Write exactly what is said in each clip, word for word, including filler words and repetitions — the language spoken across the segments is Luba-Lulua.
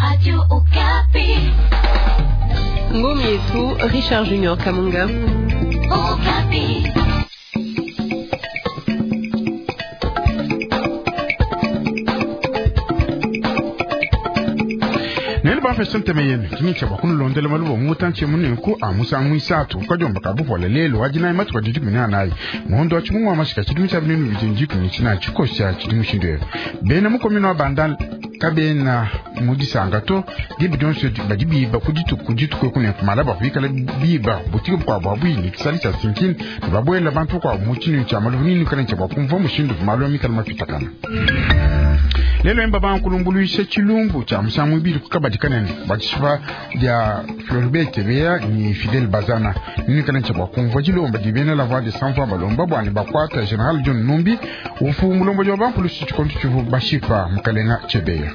Radio Okapi. Ngomi yetu Richard Junior Kamunga. Okapi. Nele bafesa nteme yenu kini bwa kunulondela maluba mutanche munenku a musangu isatu kajomba kabupola lelo wajina imatuka didi kumina nayi muhondo wa chimungu wa mashika chidimu cha binenu bijinji kumina chikosha chidimu shindwe bena mukomino wa bandal kabena mudisanga to dibi dyonso badi biba kudituku kudituku kunenku malaba kuikala biba butiki bukwabo abwini kisali cha sinkini ne bantu bukwabo muchinu cha malubu nini kana cha bwakumva mushindu maluba mikala mapitakana lelo emba bankulumbuluisha chilumbu cha musangu ibili kukabadi kanene batshipa dia Floribert Chebeya ni Fidel Bazana nini kana cha bakumva chilomba dibene la voix de sans voix balomba bwani bakwata General John Numbi ufu mulombo jo bankulusi chikonto chivu bashipa mukalenga Chebeya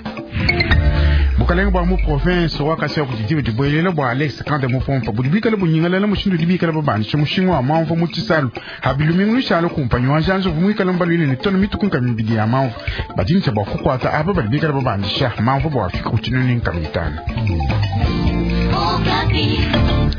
bukalenga bwa mu province wa Kasai ku didibe dibwelela bwa Alex Kande mupompa budi bikala bunyingalala mushindu dibikala babandisha mushinga wa mamvu mu tshisalu habilumingu lushalo kumpanyi wa njanzo vumwikala mbalwile ne tono mituku nka mibidi ya mamvu badintsha bwa kukwata apa badi bikala babandisha mamvu bwa fika ku tshinunu nka mitano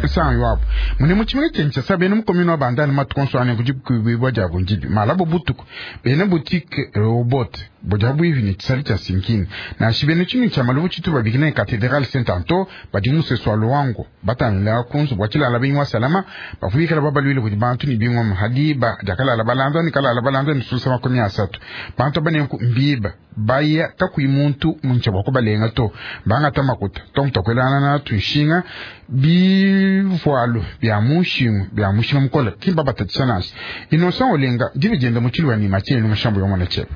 sangi wapo mune muchimene chencha sabene mukomino wa bandani matukonso ane kujikuibwa jabo njibi malabo butuku bene boutique robot boja bwivi ni tsali cha sinkini na shibene chinu cha malubu chitu babikina cathedral Saint Anto badi museso wa Luango batanila kunzu bwachilala bingwa salama bafuikala babalwile kuti bantu ni bingwa hadiba jakalala balanda ni kalala balanda ni susa makumi asatu bantu banenku mbiba baya kakui muntu muncha bwakubalenga to bangata makuta tontokwelana na tuishinga bivualu bya mushingu bya mushinga mukola kimba batatisha nasi innocent olenga divijenda muchilwa ni macheni mushambo yomwana chepa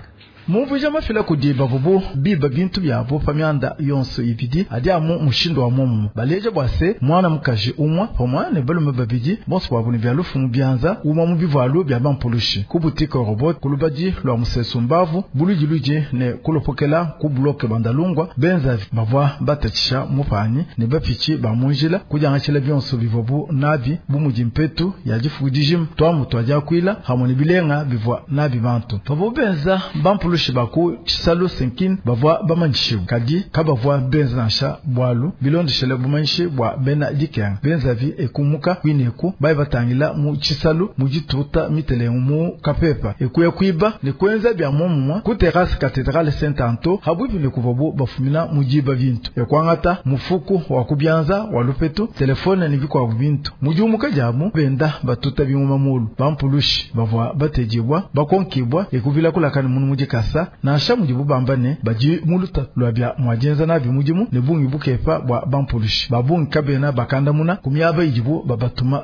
mumvuja mafila kudi bavubu biba bintu byabo pamyanda yonso ibidi adi amu mushindu wa mumu baleja bwase mwana mukaji umwa pamwa ne balume babidi bonso bwabo ne bya lufu mu byanza umwa mu bivualu bya bampulushi ku butike robot kulubadi lwa musesu mbavu bulujiluje ne kulopokela ku bloke bandalungwa benza bavwa batatisha mupanyi ne bapichi ba munjila kujangatshila byonso bivubu nabi bumudi mpetu ya difuku twamu twajakwila hamwe ne bilenga bivwa nabi bantu pavo benza bampulushi baku tshisalu sinkin bavwa bamanyishibu kadi kabavwa benza nansha bwalu bilondeshele bumanyishi bwa bena dikenga benzavi ekumuka kwineku bayi batangila mu tshisalu mu dituta mitelengu mu kapepa ekuya kwiba ne kwenza bya momumwa ku terrasse cathédrale Saint Anto habwipi ne kuvabu bafumina mu diba bintu ekwangata mufuku wa kubyanza wa lupetu telefone ne bikwabu bintu mu diumuka diamu benda batuta bimuma mulu bampulushi bavwa batejibwa bakonkibwa ekuvila kulakani munu mudikasa nansha mudibu bamba ne badi muluta lwa bya mwajenza nabi mudimu ne bungi bukepa bwa bampulushi babungi kabena bakandamuna kumyaba idibu babatuma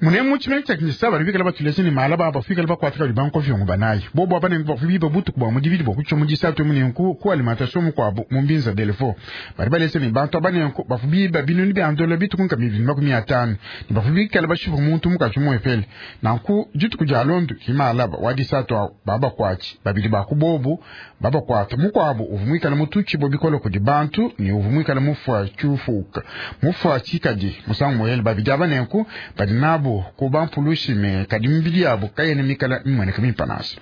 mune muchimene cha Kinshasa bali bikala batulese ni malaba abafika bakwatira libanko vyongo banayi bobo abane bafibiba butuku bwa mudibidi bwa kucho mudisatu munenku ku alimentation mukwabo mu mbinza delefo bali balese ni bantu abanenku bafubiba binuni bya ndola bituku nka mibili makumi atano ni bafubikala bashifu muntu mukachi muepele nanku dituku dya londu kimalaba wadisatu baba kwachi babili bakubobu baba kwata mukwabo uvumwikala mutuchi bo bikolo kudi bantu ni uvumwikala mufwa chufuka mufwa chikadi musangu moyele babidi abanenku badi nabo kuba mpulushi me kadi mbili yabo kayene mikala mimweneka mimpanasi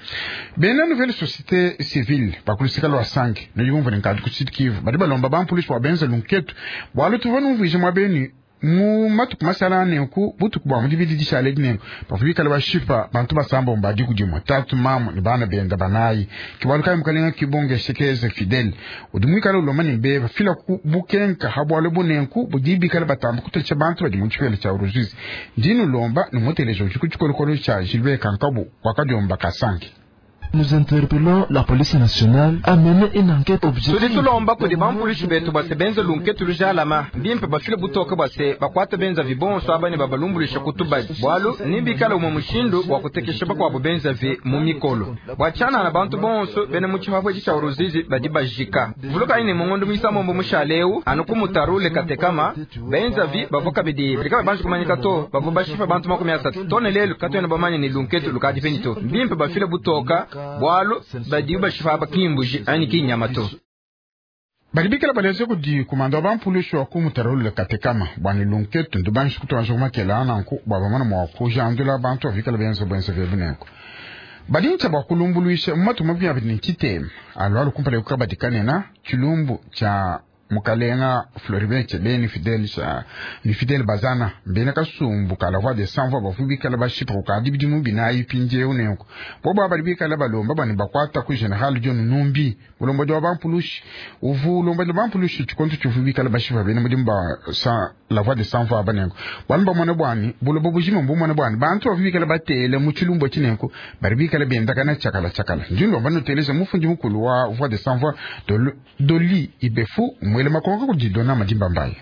bena nouvelle société civile bakulusika lwa sange niyumva nkadi ku Sud Kivu badi balomba bampulushi bwa benza lunketu bwalo tuva numvije mwa beni mu matuku masala nenku butuku bwa mudibidi dishale dinenku bafubikala bashipa bantu basamba mbadi kudimwa tatu mamu ni bana benda banayi kibalu kayi mukalenga kibonge shekeze Fidel udumwikala uloma ni beba fila ku bukenka habwalo bunenku budibikala batamba kutecha bantu badi mu chipele cha uruzizi ndinu lomba numutelejo chikuchikolokolo cha Gilbert Kankabu wakajomba kasange. Nous interpellons la police nationale à mener une enquête objective. Tudi tulomba kudi bampulushi betu base benza lunketu lujalama mbimpe bafile butoke base bakwata benza vibonso abane babalumbulisha kutubadi bwalu nimbikala umwe mushindu wa kutekesha bakwabo benza vi mu mikolo bwachana na bantu bonso bene mu chihafwe cha uruzizi badi bajika vuluka ine mungondo mwisamombo mushaleu anuku katekama benza vi bavoka bidi bikaba banji kumanyika to bavo bashifa bantu makumi asatu tone lelu katwena bamanye ni lunketu lukadi penito mbimpe bafile butoka bwalu badi bashifa bakimbuji ani kinyama to balibikela baleze kudi kumanda bampulushi wa kumutarule katekama bwani lunketu ndubanshi kutuanza kumakela ananku bwa bamana mwa kujandula bantu avikala benza bwenza vebunenko badincha bwa kulumbuluisha mumatu mabia bini chitema alwalu kumpale kukabadikanena chilumbu cha Mukalenga Floribert Chebeya ni Fidel ni Fidel Bazana mbena kasumbu kala voix des sans voix bavu bikala bashipa kukadi bidimu binayi mpindieu nenku bobo abali bikala balomba bani bakwata ku General John Numbi mulombodi wa bampulushi uvu ulombodi wa bampulushi tshikonto tshivu bikala bashipa bena mudimu ba sa la voix des sans voix abanenku bwanu bamona bwani bulobo bujima mbumona bwani bantu bavu bikala batele mu tshilumbu tshinenku bali bikala bendakana tshiakala tshiakala ndinlomba nuteleza mufundi mukulu wa voix des sans voix Doli Ibefu mwele makonga kudidona madimba mbaye.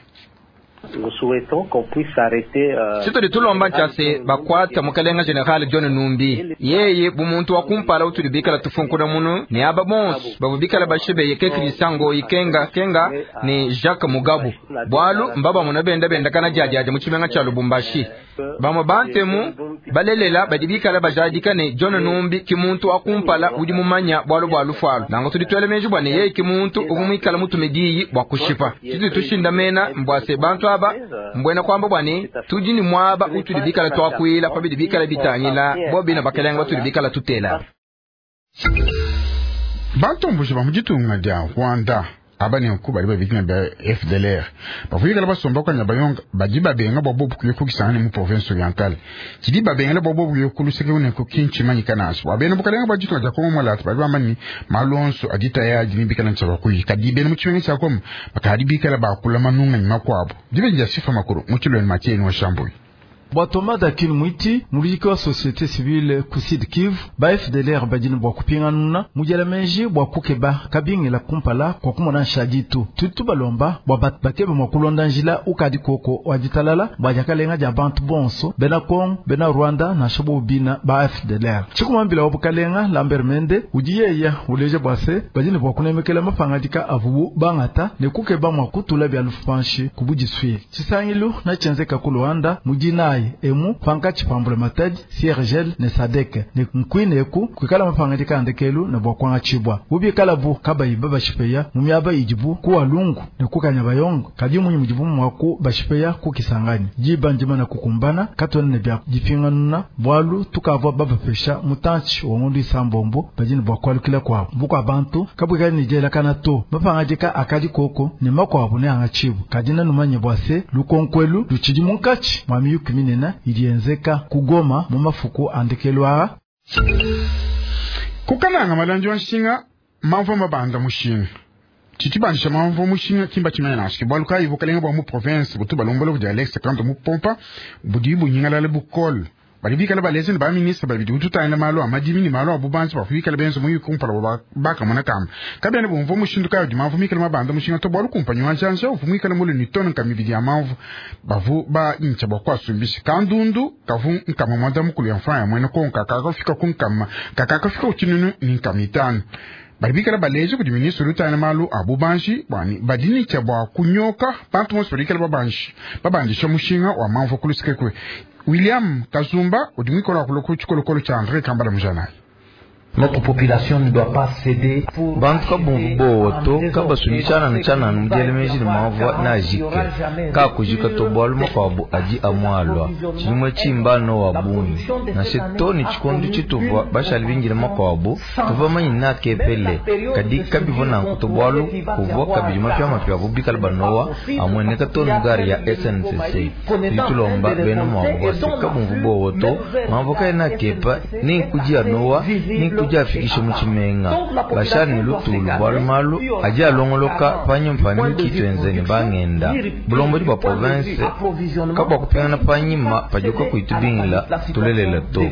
Tshitudi tulomba ntshase bakwata mukalenga General John Numbi yeye bumuntu wa kumpala utudi bikala tufunkuna munu ne aba bonso bavu bikala bashibeye ke Christian Ngoyi Kenga Kenga ne Jacques Mugabu bwalu mbaba muna benda benda kana jajaja mu tshimenga tshia Lubumbashi bamwe bantemu balelela badi bikala bajadika ne John Numbi ki muntu wa kumpala udi mumanya bwalu bwa lufualu nango tudi twele menji bwa ne yeye ki muntu uvu mwikala mutume diyi bwa kushipa tshitudi tushindamena mbwase bantu aba mbwena kwamba bwani tudi ni mwaba utudi bikala twakwila pabidi bikala bitangila bobina bakalenga batudi bikala tutela bantomboji ba muditunga dia Rwanda abanenku bali babikina ba F D L R bavuyikala basomba kwanya bayonga badi babenga bwa bobu kuye kukisangana mu province orientale tshidi babengela bwa bobu kuye kuluseke unenku kinchimanyika naso wabena bukalenga baditunga dia Kongo mwalatu bali bamani malonso adita ya adini bikala ntshaba kuyi kadi bena mu tshimenga tshia Kongo bakadi bikala bakula manunga nyuma kwabo dibenja sifa makuru mu tshilweni matieni wa Shambuyi. Bwa Thomas Dakil Mwiti muliki wa société civile ku Sud Kivu ba F D L R badini bwa kupinganuna mujala menji bwa kukeba kabingila kumpala kwa kumona nshaditu tutu balomba bwa bakebe mwa kulonda njila ukadi koko wa ditalala bwa jakalenga ja bantu bonso bena Kongo bena Rwanda na shabo bina ba F D L R chikumambila wa bukalenga Lambert Mende udiyeya uleje bwase badini bwa kunemekela mapangadika avubu bangata ne kukeba mwa kutula bya lufanshi kubujiswile chisangilu na chenzeka ku Rwanda mujinayi emu pankachi pambula matadi C R G L ne Sadek ne nkwine ku kwikala mapangandika andekelu ne bwa kwanga chibwa ubikala bu kabayi babashipeya mu myaba ijibu kuwa lungu ne kukanya bayongo kadi munyi mujibu mwaku bashipeya kukisanganya jibanjima na kukumbana katona ne bya jipinganuna bwalu tukavwa babapesha mutanchi wongondu isambombo bajini bwa kwalukila kwa bukwa bantu kabwikali nijela kana to mapangandika akadi koko ne makwabo ne angachibu kadina numanye bwase lukonkwelu luchidi munkachi mwami yukimine na ilienzeka kugoma mu mafuku andekelwa kukananga malanje wa nshinga mamvo mabanda mushinga chichibandisha mamvo mushinga kimba chimene nashi bwalu kai bukalenga bwa mu province butuba lombolo bya Alex Kanto mu pompa budi bunyingalale bukol bali bikala balezi ne ba ministre babidi ututana malo amadimi ni malo abubanzi bafikala benzo mu yukumpala baka mona kama kabene bumvo mushindu kayo di mamvo mikala mabanda mushinga to bwalu kumpanyo wanjanja uvumikala mulu ni tono kamibidi ya mamvo bavu ba incha bwa kwasumbisha kandundu kavu nkama mwanda mukulu ya mfaya mwene konka kakafika kunkama kakakafika uchinunu ni nkamitano bali bikala baleje kudi ministre lutana malu abubanji bwani badini cha bwa kunyoka bantu monso balikala babanji babandisha mushinga wa mamvo kulusikekwe William Kazumba udimwikola kuloku chikolokolo cha André Kambala Mujanayi. Notre population ne doit pas céder pour bantu kabumvu bowoto kabasumbishana na tshananu mudielemejile mavwa na ajike kakujika to bwalu makwabo adi amwalwa tshilimwe tshimbano wa bungi na setoni tshikondu tshituvwa bashali bingile makwabo tuva manyi na kepele kadi kabivo nanku to bwalu kuvwa kabidi mapya bubikala banowa amweneka tonu gari ya S N C C litulomba bena mwabo bwase kabumvu bowoto mavwa kaena kepa ninkuji anowa ninkuji afikishe muchimenga bashani lutulu bwalumalu aji alongoloka panyuma pamiki twenzeni bangenda bulombodi bwa province kabwa kupingana panyima pajuka kuitubingila tulelela to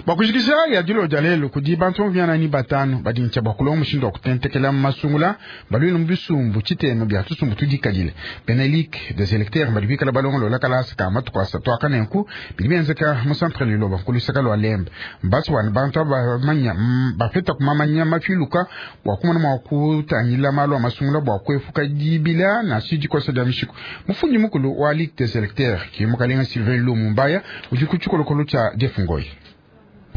bakujikisha ya dilo jalelo kudi bantu vyana ni batano badincha bakulonga mushindo wa kutentekela masungula balwino mbisumbu chitema bya tusumbu tudikadile Benelik des électeurs badibikala balongo lola kalasa kama tukwasa twakanenku bilibenzeka mu centre liloba nkulisaka lwa lembe mbasi wani bantu bamanya bafeta kumamanya mafiluka bwa kumana mwa kutangila malo amasungula bwa kwefuka dibila na sijikosa dya mishiko mufundi mukulu wa Ligue des électeurs kimukalenga Sylvain Lumumbaya udi kuchikolokolo cha Jeff Ngoyi.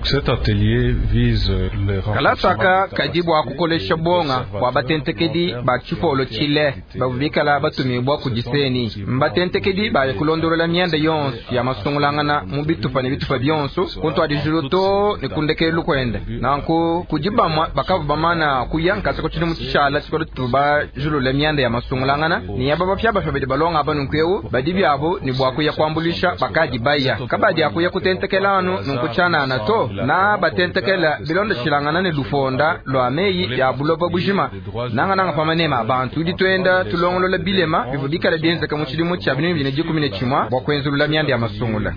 Cet atelier vise le Kalasaka kadi bua kukolesha bonga bua batentekedi ba tshipolo tshile bavu bikala batumibwa ku diseni mbatentekedi baya kulondolola myanda yonso ya masungulangana mu bitupa ne bitupa byonso kuntwadijulu to ne kundekelu kwenda nanku kudi bamwa bakavu bamana kuya nkasa ko tshili mu tshishala tshikolo tuba julula myanda ya masungulangana ni yaba bapya bapya badi balonga aba nunku badi byabo ni bua kuya kuambulisha bakadi baya kabadi akuya kutentekela anu nunku tshanana to na batentekela bilonda shilangana ne lufonda lwa meyi ya buloba bujima nanga nanga pamanema abantu tudi twenda tulongolola bilema bivu bikala bienzeka mu tshidimu tshia binunu bine dikumi ne tshimwa bua kuenzulula myanda ya masungula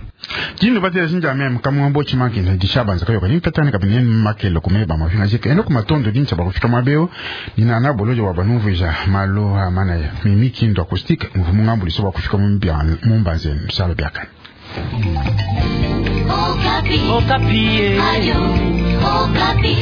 Jinu batela sinja mem kamwambo chimanki dishabanza kayoka nimpetani kabine makelo kumeba mafinga jike eno kumatondo dincha bakufika mabeo nina na bolojo wa banumvija malo amana ya mimiki ndo acoustique mvumu ngambuliso bakufika mu mumbanze msalo byakani. Okapi. Okapi. Ayo, Okapi.